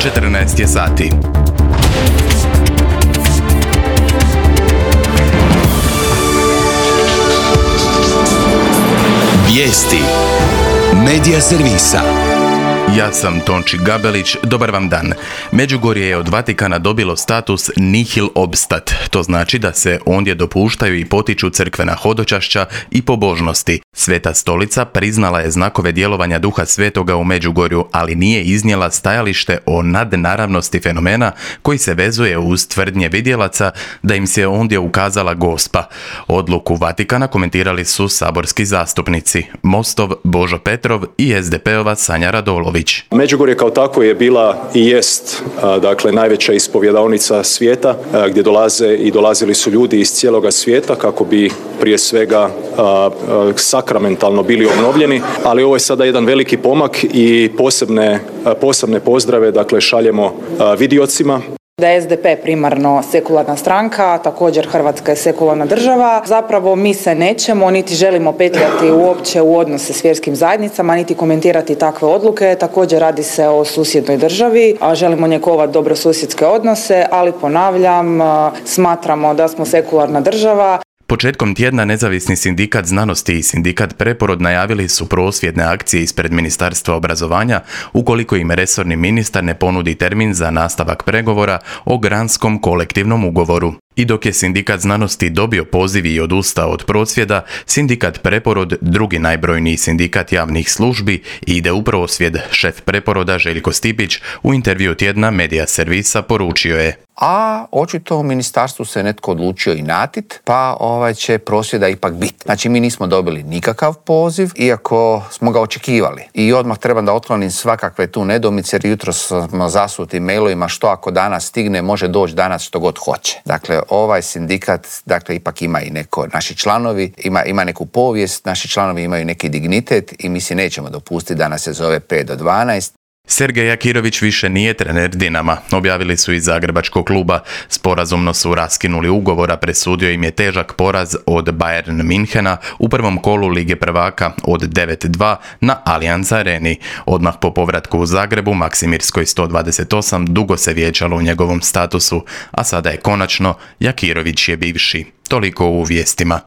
14 je sati. Vijesti Medija servisa. Ja sam Tonči Gabelić, dobar vam dan. Međugorje je od Vatikana dobilo status nihil obstat. To znači da se ondje dopuštaju i potiču crkvena hodočašća i pobožnosti. Sveta stolica priznala je znakove djelovanja Duha Svetoga u Međugorju, ali nije iznijela stajalište o nadnaravnosti fenomena koji se vezuje uz tvrdnje vidjelaca da im se ondje ukazala Gospa. Odluku Vatikana komentirali su saborski zastupnici Mostov Božo Petrov i SDP-ova Sanja Radolović. Međugorje kao tako je bila i jest najveća ispovjedaonica svijeta gdje dolazili su ljudi iz cijeloga svijeta kako bi prije svega sakramentalno bili obnovljeni, ali ovo je sada jedan veliki pomak i posebne pozdrave šaljemo vidiocima. Da je SDP primarno sekularna stranka, također Hrvatska je sekularna država. Zapravo mi se nećemo, niti želimo petljati uopće u odnose s vjerskim zajednicama, niti komentirati takve odluke. Također radi se o susjednoj državi, a želimo njegovati dobrosusjedske odnose, ali ponavljam, smatramo da smo sekularna država. Početkom tjedna Nezavisni sindikat znanosti i sindikat Preporod najavili su prosvjedne akcije ispred Ministarstva obrazovanja ukoliko im resorni ministar ne ponudi termin za nastavak pregovora o granskom kolektivnom ugovoru. I dok je sindikat znanosti dobio poziv i odustao od prosvjeda, sindikat Preporod, drugi najbrojniji sindikat javnih službi, ide u prosvjed. Šef Preporoda Željko Stipić u intervju tjedna Medija servisa poručio je: a očito u ministarstvu se netko odlučio inatit, pa će prosvjeda ipak biti. Znači mi nismo dobili nikakav poziv, iako smo ga očekivali. I odmah trebam da otklonim svakakve tu nedoumice, jer jutro smo zasuti mailovima što ako danas stigne, može doći danas što god hoće. Dakle, ovaj sindikat, ipak ima i neko, naši članovi, ima neku povijest, naši članovi imaju neki dignitet i mi si nećemo dopustiti da nas se zove 5 do 12. Sergej Jakirović više nije trener Dinama, objavili su iz zagrebačkog kluba. Sporazumno su raskinuli ugovor, a presudio im je težak poraz od Bayern Minhena u prvom kolu Lige prvaka od 9-2 na Allianz Areni. Odmah po povratku u Zagrebu Maksimirskoj 128 dugo se vijećalo u njegovom statusu, a sada je konačno Jakirović je bivši. Toliko u vijestima.